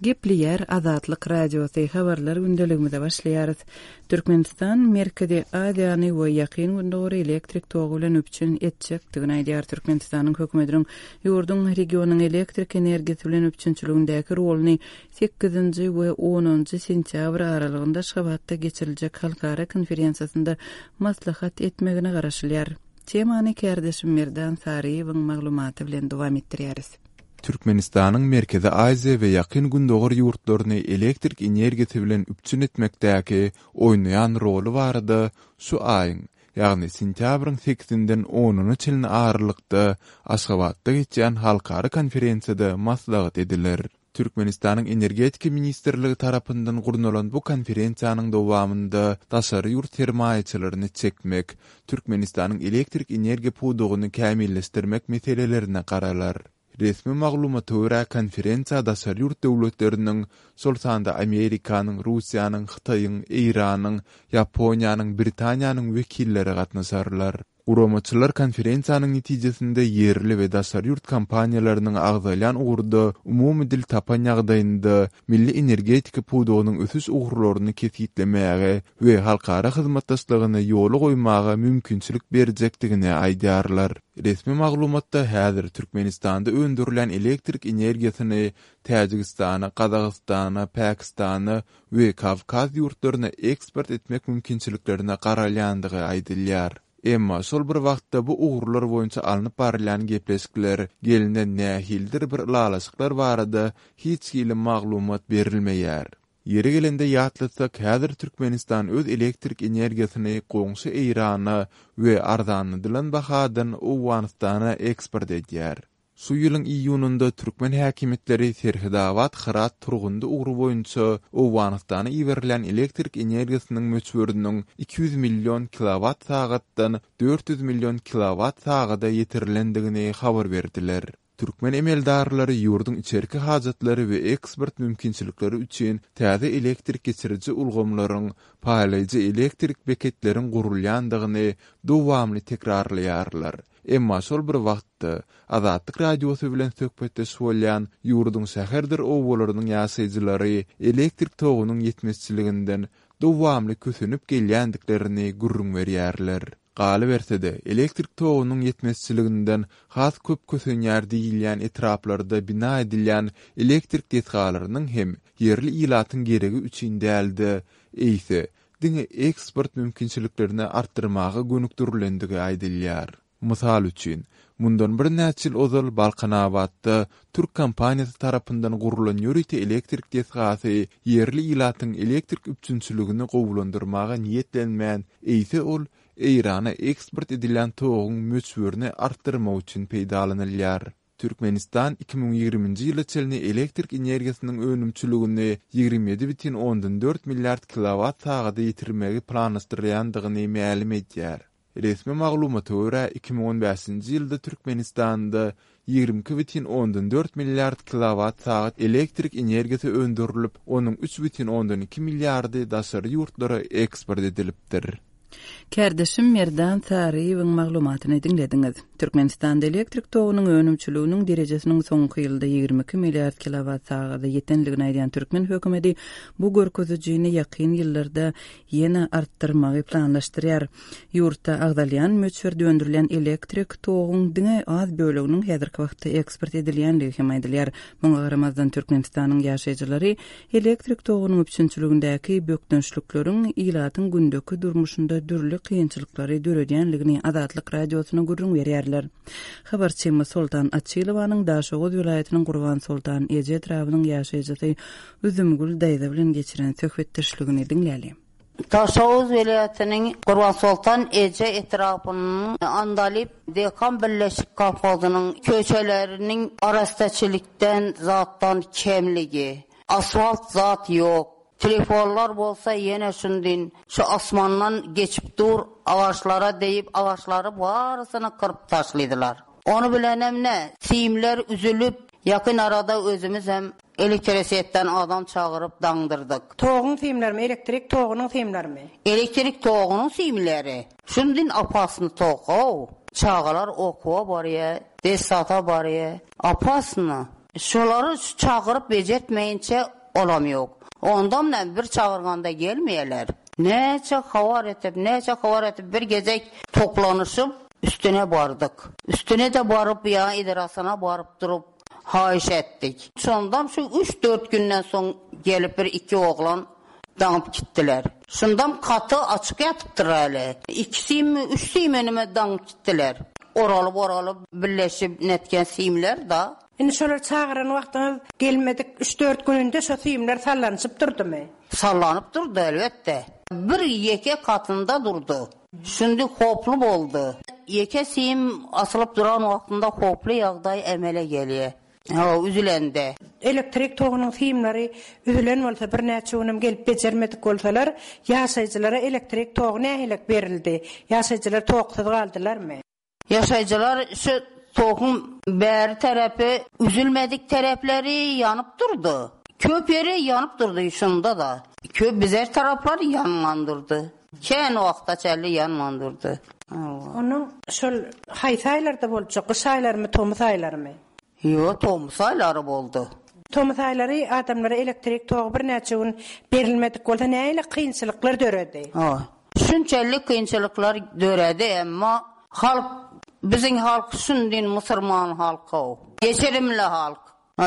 Gepleýär Azatlyk Radiosy, Habarlar gündeligimize başlaýarys. Türkmenistan Merkezi Aziýany we Ýakyn Gündogary elektrik togy bilen üpjün etjekdigini aýdýar. Türkmenistanyň hökümetiniň ýurduň regionyň elektrik energiýasy bilen üpjünçiligindäki roluny sekizinji we onunjy sentýabr aralygynda Aşgabatda geçiriljek halkara konferensiýasynda maslahat etmegine garaşylýar. Temany kärdeşim Merdan Saryýewiň maglumaty bilen dowam etdirýäris. Türkmenistanyň Merkezi Aziýa we Ýakyn Gündogar ýurtlaryny elektrik energiýasy bilen üpjün etmekdäki oýnaýan roly barada şu aýyň, ýagny sentýabryň sekizinden onuna çenli aralykda Aşgabatda geçýän halkara konferensiýada maslahat ediler. Türkmenistanyň Energetika ministrligi tarapyndan gurnalan bu konferensiýanyň dowamynda daşary ýurt sermaýaçylaryny çekmek, Türkmenistanyň elektrik energiýa pudagyny kämilleşdirmek meselelerine garalar. Resmi maglumata görä, konferensiýa daşary ýurt döwletleriniň, şol sanda Amerikanyň, Russiýanyň, Hytaýyň, Eýranyň, Ýaponiýanyň, Britaniýanyň wekilleri gatnaşarlar. Guramaçylar konferensiýanyň netijesinde ýerli we daşary ýurt kompaniýalarynyň agzalýan ugurda umumy dil tapan ýagdaýynda milli energetika pudagynyň ösüş ugurlaryny kesgitlemäge we halkara hyzmatdaşlygyny ýola goýmaga mümkinçilik berjekdigini aýdýarlar. Resmi maglumatda häzir Türkmenistanda öndürilýän elektrik energiýasyny Täjigistana, Gazagystana, Pakistana we Kawkaz ýurtlaryna eksport etmek mümkinçiliklerine garalýandygy aýdylýar. Emma şol bir wagtda bu ugurlar boýunça alnyp barylýan gepleşikler, gelnen nähilidir bir ylalaşyklar barada hiç hili maglumat berilmeýär. Ýeri gelende ýatlatsak, häzir Türkmenistan öz elektrik energiýasyny goňşy Eýrana we arzanladylan bahadan Owganystana eksport edýär. Şu ýylyň iýunynda türkmen häkimiýetleri Serhedabat-Hyrat-Turgundy ugry boýunça Owganystana iberilýän elektrik energiýasynyň möçberiniň 200 million kilowat-sagatdan 400 million kilowat-sagada ýetirilendigini habar berdiler. Türkmen emeldarlary ýurduň içerki hajatlary we eksport mümkinçilikleri üçin täze elektrik geçiriji ulgamlaryň, paýlaýjy elektrik beketleriň gurulýandygyny dowamly tekrarlaýarlar. Emma şol bir wagtda, Azatlyk Radiosy bilen söhbetdeş bolýan ýurduň şäherdir obalarynyň ýaşaýjylary elektrik togunyň ýetmezçiliginden dowamly kösenip gelýändiklerini gürrüň berýärler. Galyberse-de, elektrik togunyň ýetmezçiliginden has köp kösenýär diýilýän etraplarda bina edilýän elektrik desgalarynyň hem ýerli ilatyň geregi üçin däl-de, eýse, diňe eksport mümkinçiliklerini artdyrmaga gönükdirilendigi aýdylýar. Mysal üçin, mundan birnäçe ýyl ozal Balkanabatda türk kompaniýasy tarapyndan gurlan ýörite elektrik desgasy ýerli ilatyň elektrik üpjünçiligini gowulandyrmaga niýetlenmän, eýse ol Eýrana eksport edilýän toguň möçberini artdyrmak üçin peýdalanylýar. Türkmenistan 2020-nji ýyla çenli elektrik energiýasynyň önümçiligini 27,4 milliard kilowat-sagada ýetirmegi planlaşdyrýandygyny mälim edýär. Resmi maglumata görä, 2015-nji ýylda Türkmenistanda 22,4 milliard kilowat-sagat elektrik energiýasy öndürilip, onuň 3,2 milliardy daşary ýurtlara eksport edilipdir. Kärdeşim Merdan Saryýewiň maglumatyny diňlediňiz. Türkmenistanda elektrik togunyň önümçiliginiň derejesiniň soňky ýylda 22 milliard kilowat sagada ýetendigini aýdýan türkmen hökümeti bu görkezijini ýakyn ýyllarda ýene artdyrmagy planlaşdyrýar. Ýurtda agzalýan möçberde öndürilýän elektrik toguň diňe az böleginiň häzirki wagtda eksport edilýändigi hem aýdylýar. Muňa garamazdan, Türkmenistanyň ýaşaýjylary Elektrik togunyň üpjünçiligindäki bökdençlikleriň ilatyň gündeki durmuşynda dürli kynçylyklary döredýändigini Azatlyk Radiosyna gürrüň berýärler. Habarçymyz Soltan Açylowanyň Daşoguz welaýatynyň Gurbansoltan eje etrabynyň ýaşaýjysy Üzümgül daýza bilen geçiren söhbetdeşligini diňläli. Daşoguz welaýatynyň Gurbansoltan eje etrapynyň Andalyp dekan birleşik kolhozynyň köçeleriniň arassaçylykdan zatdan kemligi. Asfalt zat ýok. Telefonlar bolsa ýene şundin şu asmandan geçip dur agaçlara deýip agaçlary barysyny kyryp taşlydylar. Ony bilenem ne simler üzülip ýakyn arada özümiz hem Elektrosiýetden adam çagyryp daňdyrdyk. Toguň simlerimi, elektrik togunyň simlerimi? Elektrik togunyň simleri. Şundin opasny tok-ow. Çagalar okuwa barýa, dessata barýa. Opasno. Şolary çagyryp bejertmeýinçe olam ýok. Ondam näme bir çagyrganda gelmeýärler. Näçe habar etip, näçe habar etip bir gezek toplanyşyp üstüne bardyk. Üstüne-de baryp ýa edarasyna baryp durup haýyş etdik. Şondam şu üç-dört günden soň gelip bir iki oglan daňyp gitdiler. Şundam gaty açyk ýatypdyr häli. Iki simmi, üç simenime daňyp gitdiler. Oralyp-oralyp birleşip netgen simler-da. Indi şolary çagyran wagtyňyz gelmedik üç-dört gününde şo simler sallanyşyp durdumy? Sallanyp durdy, elbetde. Bir ýeke katynda durdy. Şindi howply boldy. Ýeke sim asylyp duran wagtynda howply ýagdaý emele gelýär. Hawa, üzülende. Elektrik togunyň simleri üzülen bolsa, birnäçe günem gelip bejermedik bolsalar, ýaşaýjylara elektrik togy nähilek berildi? Ýaşaýjylar toksuz galdylarmy? Ýaşaýjylar şu toguň bäri tarapy üzülmedik tarapleri ýanyp durdy. Köp ýeri ýanyp durdy şunda-da. Köp bizer taraplary ýanman durdy. Kän wagta çenli ýanman durdy. Onuň şol haýsy aýlarda boljak, gyş aýlarymy, tomus aýlarymy? Ýok, tomus aýlary boldy. Tomus aýlary adamlara elektrik togy birnäçe gün berilmedik bolsa nähili kynçylyklar döredi? Hawa. Şunçelli kynçylyklar döredi, emma halk, biziň halk şundin musurman halky-ow. Geçirimli halk.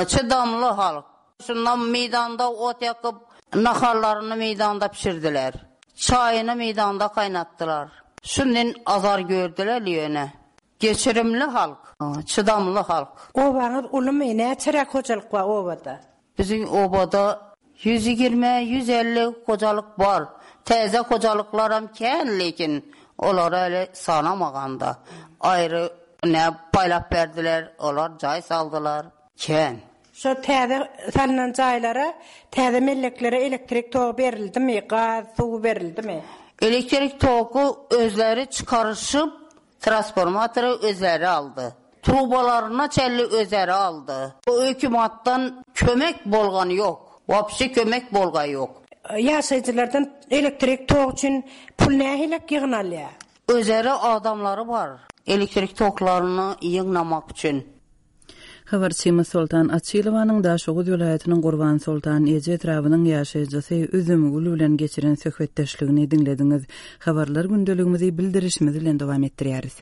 Çydamly halk. Şunda meýdanda ot ýakyp, naharlaryny meýdanda bişirdiler. Çaýyny meýdanda gaýnatdylar. Şundan azar gördüler ýöne. Geçirimli halk, çydamly halk. Obaňyz ulumy? Näçeräk hojalyk bar obada? Biziň obada 120, 150 hojalyk bar. Täze hojalyklaram kän, lekin olary hali sanamaganda. Aýry ne paýlap berdiler, olar jaý saldylar. Kän. Şo täze salnan jaýlara, täze melleklere elektrik togy berildimi, gaz, suw berildimi? Elektrik togy özleri çykaryşyp, trasformatory özleri aldy. Trubalaryna çenli özeri aldy. Hökümatdan kömek bolgany ýok. Wapşe kömek bolgaý ýok. Ýaşaýjylardan elektrik togy üçin pul nähilek ýygnalýar? Özeri adamlary bar, elektrik toklaryny ýygnamak üçin. Habarçymyz Soltan Açylowanyň Daşoguz welaýatynyň Gurbansoltan eje etrabynyň ýaşaýjysy Üzümgül bilen geçiren söhbetdeşligini diňlediňiz. Habarlar gündeligimizi bildirişimiz bilen dowam etdirýäris.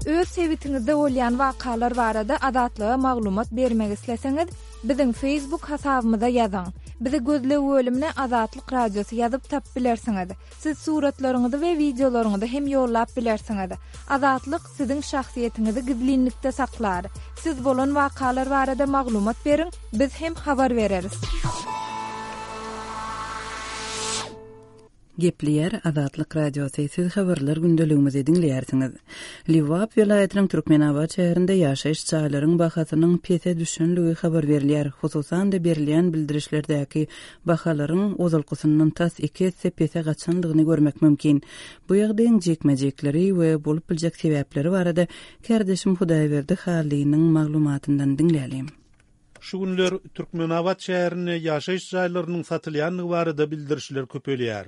Öz sebitiňizde bolýan wakalar barada Azatlyga maglumat bermek isleseňiz, biziň Facebook hasabymyza ýazyň. Bizi gözleg bölümine Azatlyk Radiosy ýazyp tapyp bilersiňiz. Siz suratlaryňyzy we wideolaryňyzy hem ýollap bilersiňiz. Azatlyk siziň şahsyýetiňizi gizlinlikde saklar. Siz bolan wakalar barada maglumat beriň, biz hem habar bereris. Gepleýär Azatlyk Radiosy, siz habarlar gündeligimizi diňleýärsiňiz. Lebap welaýatynyň Türkmenabat şäherinde ýaşaýyş jaýlaryň bahasynyň pese düşenligi habar berilýär. Hususan-da, berilýän bildirişlerdäki bahalaryň ozalkysyndan tas iki esse pese gaçandygyny görmek mümkin. Bu ýagdaýyň jikme-jikleri we bolup biljek sebäpleri barada kärdeşim Hudaýberdi Hallynyň maglumatyndan diňläliň. Şu günler Türkmenabat şäherinde ýaşaýyş jaýlarynyň satylýandygy barada bildirişler köpelýär.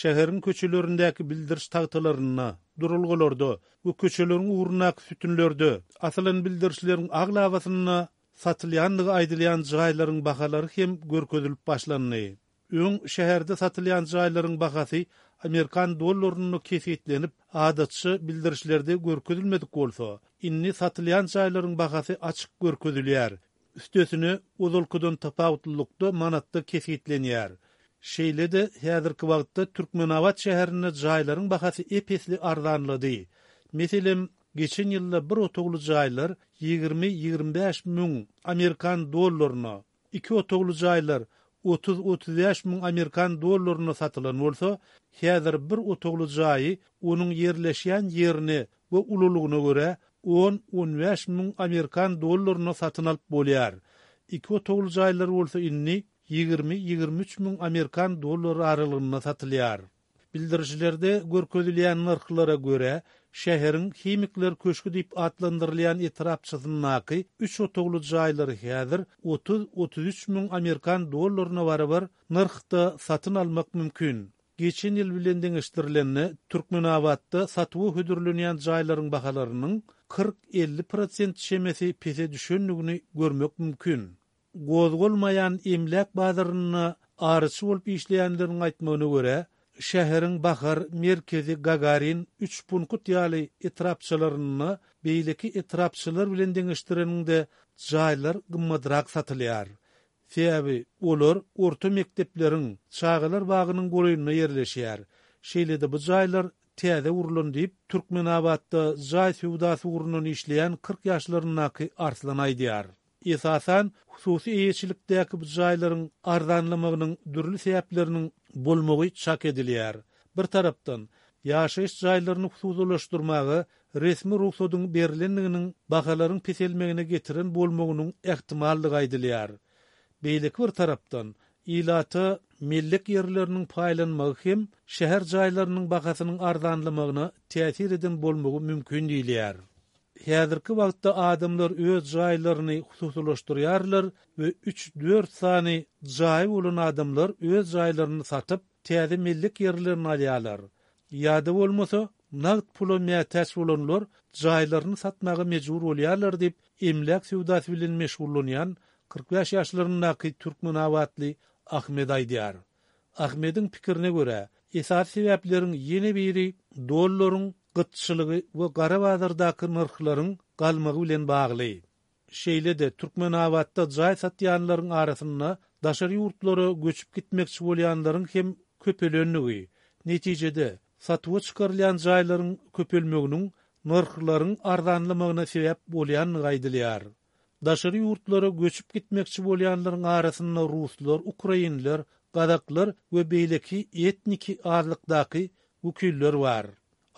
Şäheriň köçelerindäki bildiriş tagtalarynda, duralgalarda we köçeleriň ugrundaky sütünlerde asylan bildirişleriň aglabasynda Satylýandygy aýdylýan jaýlaryň bahalary hem görkezilip başlandy. Öň şäherde satylýan jaýlaryň bahasy amerikan dollarynda kesgitlenip, adatça bildirişlerde görkezilmedik bolsa, indi satylýan jaýlaryň bahasy açyk görkezilýär, üstesine, ozalkydan tapawutlylykda manatda kesgitlenýär. Şeýle-de, häzirki wagtda Türkmenabat şäherinde jaýlaryň bahasy ep-esli arzanlady. Meselem, Geçen ýylda bir otagly jaýlar 20-25 müň amerikan dollaryna, iki otagly jaýlar 30-35 müň amerikan dollaryna satylan bolsa, häzir bir otagly jaýy onuň ýerleşýän ýerine we ululygyna görä on-on bäş müň amerikan dollaryna satyn alyp bolýar. Iki otagly jaýlar bolsa indi 20-23 müň amerikan dollary aralygynda satylýar. Bildirişlerde görkezilýän nyrhlara görä, şäheriň Himikler köşgi diýip atlandyrylýan etrapçasyndaky üç otagly jaýlary häzir otuz-otuz üç müň amerikan dollaryna barabar nyrhda satyn almak mümkin. geçen ýyl bilen deňeşdirilende, Türkmenabatda satuwa hödürlenýän jaýlaryň bahalarynyň 40-50 prosent çemesi pese düşendigini görmek mümkin. Gozgalmaýan emläk bazarynda aryçy bolup işleýänleriň aýtmagyna görä, şäheriň Bahar, Merkezi, Gagarin, Üçpunkt ýaly etrapçalarynda beýleki etrapçalar bilen deňeşdireniňde jaýlar gymmadrak satylýar. Sebäbi olar orta mekdepleriň, çagalar bagynyň golaýynda ýerleşýär. Şeýle-de bu jaýlar täze gurlan diýip, Türkmenabatda jaý söwdasy ugrundan işleýän 40 ýaşlaryndaky Arslan aýdýar. Esasan, hususy eýeçilikdäki bu jaýlaryň arzanlamagynyň dürli sebäpleriniň bolmagy çak edilýär. Bir tarapdan, ýaşaýyş jaýlaryny hususylaşdyrmaga resmi rugsadyň berlendiginiň bahalaryň peselmegine getiren bolmagynyň ähtimaldygy aýdylýar. Beýleki bir tarapdan, ilata mellek ýerleriniň paýlanmagy hem şäher jaýlarynyň bahasynyň arzanlamagyna täsir eden bolmagy mümkin diýilýär. Häzirki wagtda adamlar öz jaýlaryny hususylaşdyrýarlar we üç-dört sany jaýy bolan adamlar öz jaýlaryny satyp, täze mellek ýerlerini alýarlar. Ýa-da bolmasa, nagt pula mätäç bolanlar jaýlaryny satmaga mejbur bolýarlar diýip, emläk söwdasy bilen meşgullanýan 45 ýaşlaryndaky türkmenabatly Ahmet aýdýar. Ahmediň pikirine görä, esasy sebäpleriň ýene biri dollaryň gytçylygy we gara bazardaky nyrhlaryň galmagy bilen bagly. Şeýle-de, Türkmenabatda jaý satýanlaryň arasynda daşary ýurtlara göçüp gitmekçi bolýanlaryň hem köpelendigi, netijede, satuwa çykarylýan jaýlaryň köpelmeginiň nyrhlaryň arzanlamagyna sebäp bolýandygy aýdylýar. Daşary ýurtlara göçüp gitmekçi bolýanlaryň arasynda ruslar, ukrainler, gazaklar we beýleki etniki azlykdaky wekiller bar.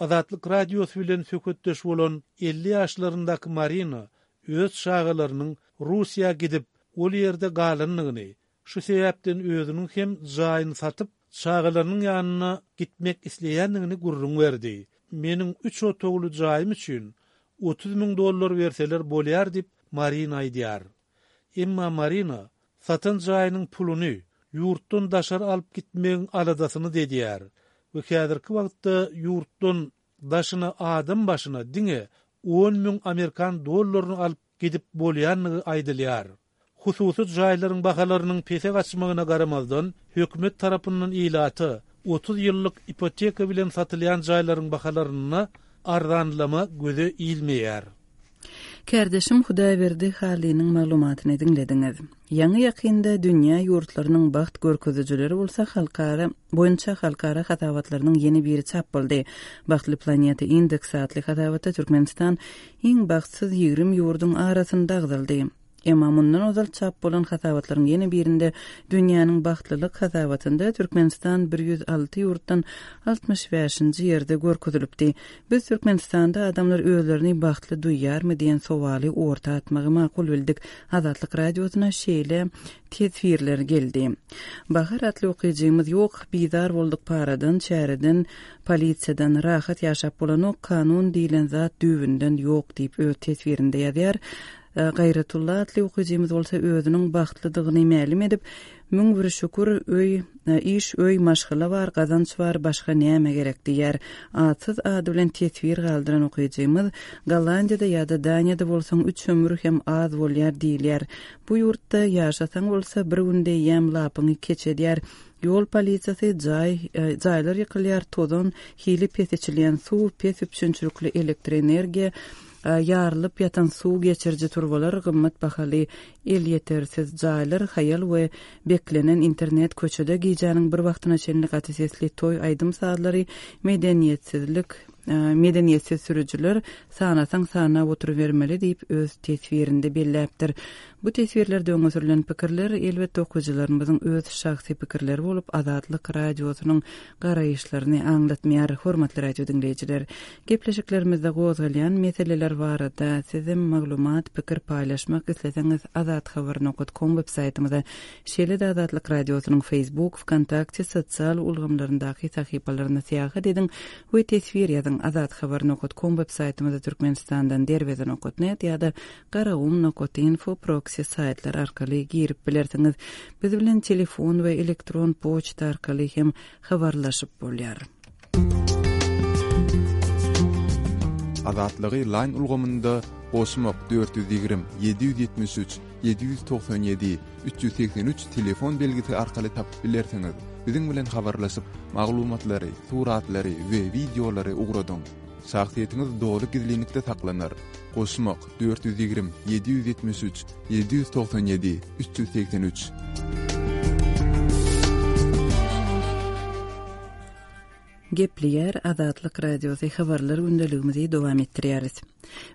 Azatlyk Radiosy bilen söhbetdeş bolan 50 ýaşlaryndaky Marina öz çagalarynyň Russiýa gidip, ol ýerde galandygyny, Şu sebäpden özüniň hem jaýyny satyp, çagalarynyň ýanyna gitmek isleýändigini gürrüň berdi. Meniň üç otagly jaýym üçin 30 müň dollar berseler bolýar diýip, Marina aýdýar. Emma Marina satan jaýynyň puluny ýurtdan daşary alyp gitmegiň aladasyny-da edýär we häzirki wagtda ýurtdan daşyna adam başyna diňe on müň amerikan dollaryny alyp gidip bolýandygy aýdylýar. Hususy jaýlaryň bahalarynyň pese gaçmagyna garamazdan, hökümet tarapyndan ilata 30 ýyllyk ipoteka bilen satylýan jaýlaryň bahalarynda arzanlama göze ilmeýär. Kärdeşim Hudaýberdi Hallynyň maglumatyny diňlediňiz. Ýaňy-ýakynda dünýä ýurtlarynyň bagt görkezijileri bolsa halkara boýunça halkara hasabatlarynyň ýene biri çap boldy. Bagtly planeta indeksi atly hasabatda Türkmenistan iň bagtsyz 20 ýurduň arasynda agzaldy. Emma mundan ozal çap bolan hasabatlaryň ýene birinde Dünýäniň bagtlylyk hasabatynda Türkmenistan 106 ýurtdan 65-nji ýerde görkezilipdi. Biz Türkmenistanda adamlar özlerini bagtly duýýarmy diýen sowaly orta atmagy makul bildik. Azatlyk Radiosyna şeýle teswirler geldi. Bahar atly okyjymyz Ýok, bizar bolduk paradan, çäreden, polisiýadan, rahat ýaşap bolanok, kanun diýlen zat düýbünden ýok diýip öz teswirinde ýazýar. Gaýratulla atly okyjymyz bolsa özüniň bagtlydygyny mälim edip, 1001 şükür, öý, iş, öý, maşgala bar, gazanç bar, başga näme gerek diýýär. Atsyz ady bilen teswir galdyran okyjymyz, Gollandiýada ýa-da Daniýada bolsaň üç ömür hem az bolýar diýilýär. Bu ýurtda ýaşasaň bolsa bir günde eýýäm lapyňy keç edýär. Ýol polisiýasy, jaý, jaýlar ýykylýar, tozan, hili pes içilýän suw, pes üpjünçilikli elektroenergiýa, ýarylyp ýatan suw geçiriji turbalar, gymmat bahaly elýetersiz jaýlar, haýal we beklenen internet, köçede gijäniň bir wagtyna çenli gaty sesli toý aýdym-sazlary, medeniýetsizlik, medeniýetsiz sürüjiler, sanasaň sanap oturybermeli diýip, öz teswirinde belläpdir. Bu teswirlerde öňe sürlen pikirler, elbetde, okyjylarymyzyň öz şahsy pikirleri bolup, Azatlyk Radiosynyň garaýyşlaryny aňlatmaýar. Hormatly radio diňleýjiler, gepleşiklerimizde gozgalýan meseleler barada sizem maglumat, pikir paýlaşmak isleseňiz azathabar nokat kom web saýtymyza, şeýle-de Azatlyk Radiosynyň Facebook, Wkontakte sosial ulgamlaryndaky sahypalaryna syýahat ediň we teswir ýazyň. Biziň Azathabar nokat kom web saýtymyza Türkmenistandan Derweze nokat net ýa-da Garagum nokat info proksi saýtlar arkaly girip bilersiňiz. Biz bilen telefon we elektron poçta arkaly hem habarlaşyp bolýar. Azatlygy Line ulgamynda goşmak 420 773 797 383 telefon belgisi arkaly tapyp bilersiňiz. Biziň bilen habarlaşyp, maglumatlary, suratlary we wideolary ugradyň. Şahsyýetiňiz doly gizlinlikde saklanar. Goşmak, 420 773 797 383. Gepleýär Azatlyk Radiosy habarlar gündeligimizi dowam etdirýäris.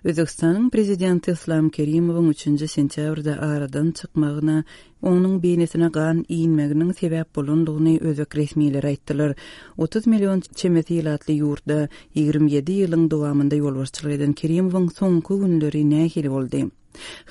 Özbegistanyň Prezidenti Yslam Kerimowyň üçünji sentýabrda aradan çykmagyna onuň beýnisine gan inmeginiň sebäp bolandygyny özbek resmileri aýtdylar. 30 million çemesi ilatly ýurtda 27 ýylyň dowamynda ýolbaşçylyk eden Kerimowyň soňky günleri nähili boldy?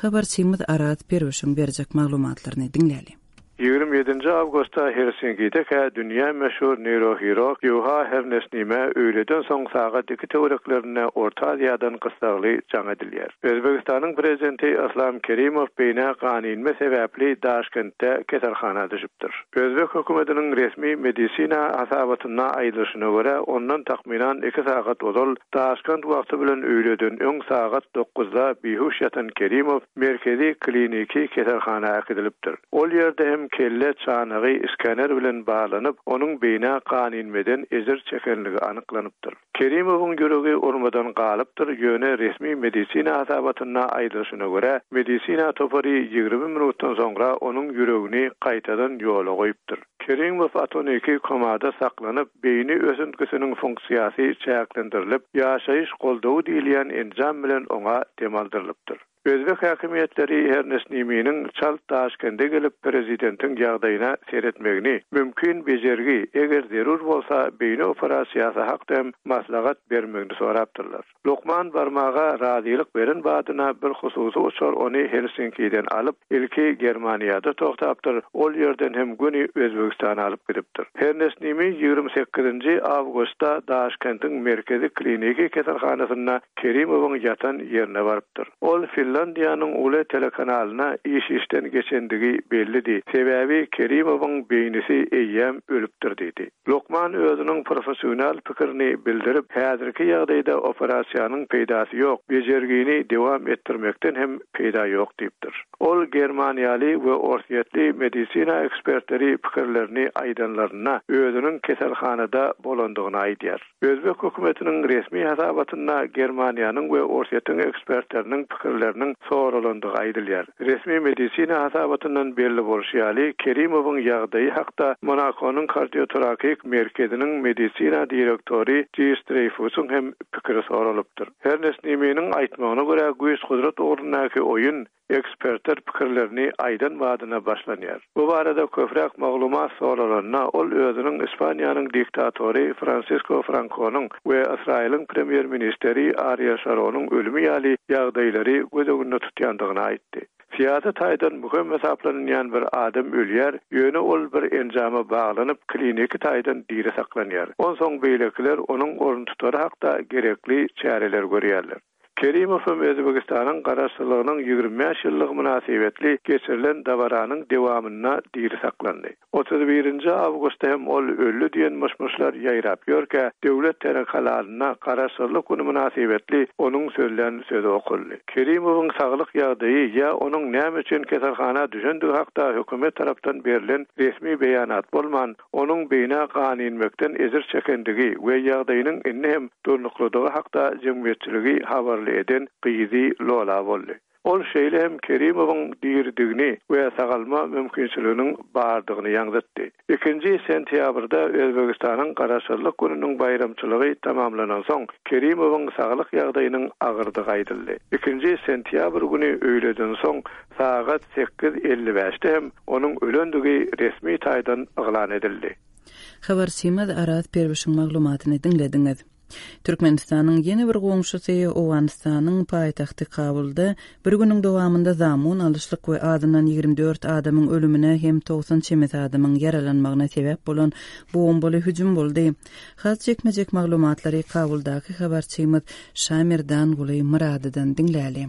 Habarçymyz Araz Perwişiň berjek maglumatlaryny diňläli. 27-nji awgustda Helsinkidekä dünýä meşhur neýrohirurg Ýuha Hernesnimä öýleden soň sagat iki töwereklerinde Orta Aziýadan gyssagly jaň edilýär. Özbegistanyň Prezidenti Yslam Kerimow beýnä gan inme sebäpli Daşkentde keselhana düşüpdir. Özbek hökümetiniň resmi medisina hasabatynda aýdylyşyna görä, ondan takmynan iki sagat ozal, Daşkent wagty bilen öýleden öň sagat dokuzda bihuş ýatan Kerimow Merkezi kliniki keselhana äkidilipdir. Ol ýerde hem kelle çanagy skaner bilen barlanyp, onuň beýnä gan inmeden ejir çekenligi anyklanypdyr. Kerimowyň ýüregi urmadan galypdyr, ýöne resmi medisina hasabatynda aýdylyşyna görä, medisina topary 20 minutdan soňra onuň ýüregini gaýtadan ýola goýupdyr. Kerimow atoniki komada saklanyp, beýni ösüntgisiniň funksiýasy çäklendirilip, ýaşaýyş goldawy diýilýän enjam bilen oňa dem aldyrylypdyr. Özbek häkimiýetleri Hernesniminiň çalt Daşkende gelip, prezidentiň ýagdaýyna seretmegini, mümkin bejergi, eger zerur bolsa, beýni operasiýasy hakda hem maslahat bermegini sorapdyrlar. Lukman barmaga razylyk beren badyna bir hususy uçar ony Helsinkiden alyp, ilki Germaniýada togtapdyr, ol ýerden hem göni Özbegistana alyp gidipdir. Hernesnimi 28-nji awgustda Daşkentiň merkezi kliniki keselhanasynda Kerimowyň ýatan ýerine barypdyr. Ol Finlandiýanyň Yle telekanalyna iş-işden geçendigi bellidi, sebäbi Kerimowyň beýnisi eýýäm ölüpdir diýdi. Lukman özüniň professional pikirini bildirip, häzirki ýagdaýda operasiýanyň peýdasy ýok, bejergini dewam etdirmekden hem peýda ýok diýipdir. Ol germaniýaly we orsýetli medisina ekspertleri pikirlerini aýdanlarynda özüniň keselhanada bolandygyny aýdýar. Özbek hökümetiniň resmi hasabatynda Germaniýanyň we Orsýetiň ekspertleriniň pikirleriniň soralandygy aýdylýar. Resmi medisina hasabatyndan belli bolşy ýaly, Kerimowyň ýagdaýy hakda Monakonyň kardiotorakik merkeziniň medisina direktory Jis Dreýfusyň hem pikiri soralypdyr. Ernest Niminiň aýtmagyna görä, güýç-gudrat ugrundaky oýun Ekspertler pikirlerini aýdan badyna başlanýar. Bu barada köpräk maglumat soralanda, ol özüniň Ispaniýanyň diktatory Fransisko Frankonyň we Ysraýylyň premýer-ministeri Ariel Şaronyň ölümi ýaly ýagdaýlary göz öňünde tutýandygyny aýtdy. Syýasy taýdan möhüm hasaplanylýan bir adam ölýär, ýöne ol bir enjama baglanyp, kliniki taýdan diri saklanýar. Onsoň beýlekiler onuň oruntutary hakda gerekli çäreleri görýärler. Kerimow hem Özbegistanyň Garaşsyzlygynyň 25 ýyllygy mynasybetli geçirilen dabaranyň dewamynda diri saklandy. 31-nji awgustda hem ol öldi diýen myş-myşlar ýaýrap ýörkä, döwlet telekanalynda Garaşsyzlyk güni mynasybetli onuň sözlän sözi okaldy. Kerimowyň saglyk ýagdaýy ýa onuň näme üçin keselhana düşendigi hakda hökümet tarapdan berlen resmi beýanat bolman, Onuň beýnä gan inmekden ejir çekendigi we ýagdaýynyň indi hem durnuklydygy hakda jemgyýetçiligi habarly eden gyzy Lola boldy. Ol şeýle hem Kerimowyň diridigini we sagalma mümkinçiliginiň bardygyny ýaňzytdy. Ikinji sentýabrda Özbegistanyň Garaşsyzlyk gününiň baýramçylygy tamamlanansoň, Kerimowyň saglyk ýagdaýynyň agyrdygy aýdyldy. Ikinji sentýabr güni öýleden soň Sagat 8:55-de hem onuň ölendigi resmi taýdan yglan edildi. Habarçymyz Araz Perwişiň maglumatyny diňlediňiz. Türkmenistanyň ýene bir goňşusy Owganystanyň paýtagty Kabulda bir günüň dowamynda zamun alyşlyk we azyndan 24 adamyň ölümine hem 90 çemesi adamyň ýaralanmagyna sebäp bolan bombaly hüjüm boldy. Has jikme-jik maglumatlary Kabuldaky habarçymyz Şamerdanguly Myradydan diňläli.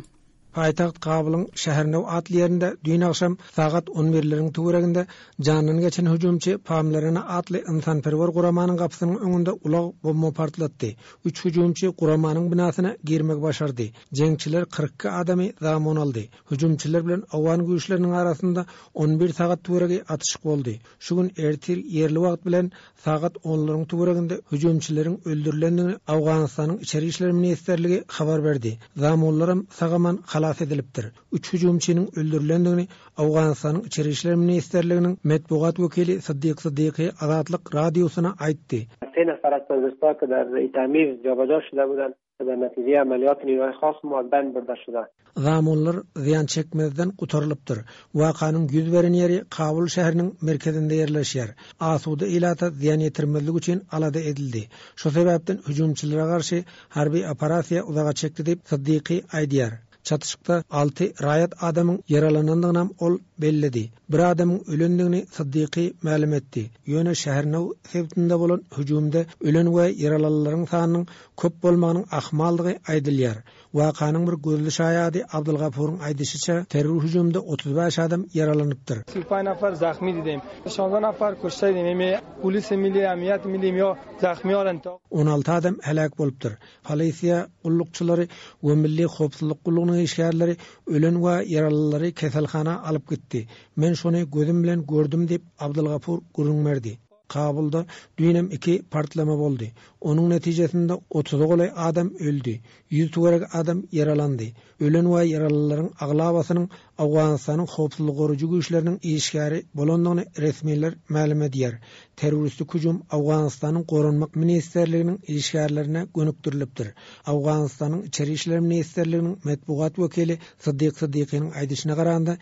Paýtagt Kabulyň Şähernew atly ýerinde düýn agşam sagat on birleriň töwereginde jandan geçen hüjümçi Pamlerena atly ynsanperwer guramanyň gapysynyň öňünde ulag bomba partlatdy. Üç hüjümçi guramanyň binasyna girmegi başardy. Jeňçiler 42 adamy zamun aldy. Hüjümçiler bilen owgan güýçleriniň arasynda on bir sagat töweregi atyşyk boldy. Şu gün ertir ýerli wagt bilen sagat onlaryň töwereginde hüjümçileriň öldürilendigini Owganystanyň Içeri işler ministrligi habar berdi. Zamunlaram sag-aman halas edilipdir. Üç hüjümçiniň öldürilendigini Owganystanyň Içeri işler ministrliginiň metbugat wekili Syddyk Syddyky Azatlyk Radiosyna aýtdy. سه نفر از تروریستها که در ای تعمیر جابجا شده بودند که در نتیجه عملیات نیروهای خاص ما از بین برده شده. Zamunlar zyýan çekmezden gutarylypdyr. Wakanyň ýüz beren ýeri Kabul şäheriniň merkezinde ýerleşýär. Asuda ilata zyýan ýetirmezlik üçin alada edildi. Şu sebäpden hüjümçilere garşy harby operasiýa uzaga çekdi diýip, Syddyky aýdýar. Çatyşykda alty raýat adamyň ýaralanandygynam ol belledi. Bir adamyň ölendigini Syddyky mälim etdi. Ýöne Şähernew sebitinde bolan hüjümde ölen we ýaralanlaryň sanynyň köp bolmagynyň ahmaldygy aýdylýar. Wakanyň bir gözli şaýady Abdylgapuryň aýdyşyça, terror hüjüminde 35 adam ýaralanypdyr. 35 nafar zahmi didim. 16 nafar kuşte didim. Polis milli, emniyet milli ýa zahmi alan. 16 adam heläk bolupdyr. Polisiýa gullukçylary we Milli howpsuzlyk gullugynyň işgärleri ölen we ýaralylary keselhana alyp gitdi. Men şony gözüm bilen gördüm diýip, Abdylgapur gürrüň berdi. Kabulda düýnem iki partlama boldy. Onuň netijesinde otuza golaý adam öldi, ýüz töweregi adam ýaralandy. Ölen we ýaralylaryň aglabasynyň Owganystanyň howpsuzlygy goraýjy güýçleriniň işgäri bolandygyny resmiler mälim edýär. Terroristik hüjüm Owganystanyň Goranmak ministrliginiň işgärlerine gönükdirilipdir. Owganystanyň Içeri işler ministrliginiň metbugat wekili Syddyk Syddykynyň aýdyşyna garanda,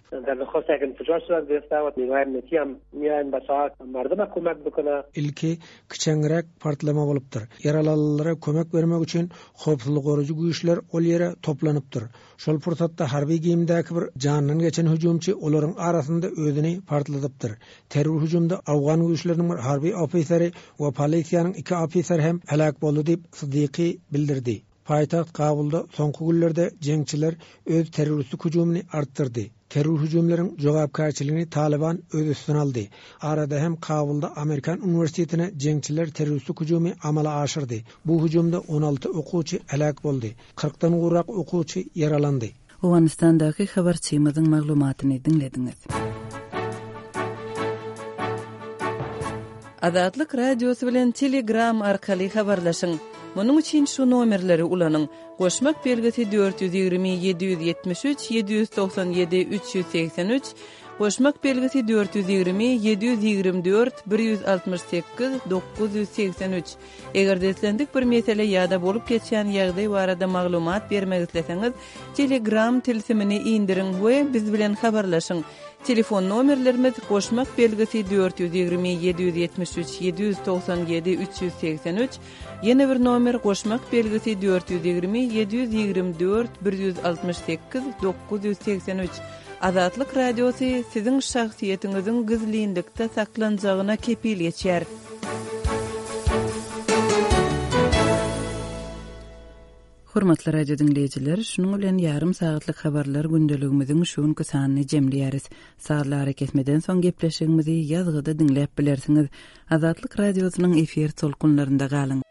Ilki kiçeňräk partlama bolupdyr. Ýaralylara kömek bermek üçin howpsuzlyk goraýjy güýçler ol ýere toplanypdyr. Şol pursatda harby geýimdäki bir jandan geçen hüjümçi olaryň arasynda özüni partladypdyr. Terror hüjümde owgan güýçleriniň bir harby ofiseri we polisiýanyň iki ofiseri hem heläk boldy diýip, Syddyky bildirdi. Paýtagt Kabulda soňky günlerde jeňçiler öz terroristik hüjümini artdyrdy. Terror hüjümleriň jogapkärçiligini Talyban öz üstüne aldy. Arada hem Kabulda Amerikan uniwersitetine jeňçiler terroristik hüjümi amala aşyrdy. Bu hüjümde 16 okuwçy heläk boldy. Kyrkdan gowrak okuwçy ýaralandy. Owganystandaky habarçymyzyň maglumatyny diňlediňiz. Azatlyk Radiosy bilen Telegram arkaly habarlaşyň. Munuň üçin şu nomerleri ulanyň, goşmak belgisi 420 773 797 383, goşmak belgisi 420 724 168 983. Eger-de islendik bir mesele ýa-da bolup geçýän ýagdaý barada maglumat bermek isleseňiz, Telegram tilsimini indiriň we biz bilen habarlaşyň. Telefon nomerlerimiz, goşmak belgisi 420 773 797 383, ýene bir nomer goşmak belgisi 420 724 168 983. Azatlyk Radiosy siziň şahsyýetiňiziň gizlinlikde saklanjagyna kepil geçýär. Hormatly radio diňleýjiler, şunuň bilen ýarym sagatlyk habarlar gündeligimiziň şu günki sanyny jemleýäris. Sazly arakesmeden soň gepleşigimizi ýazgyda diňläp bilersiňiz. Azatlyk Radiosynyň efir tolkunlarynda galyň.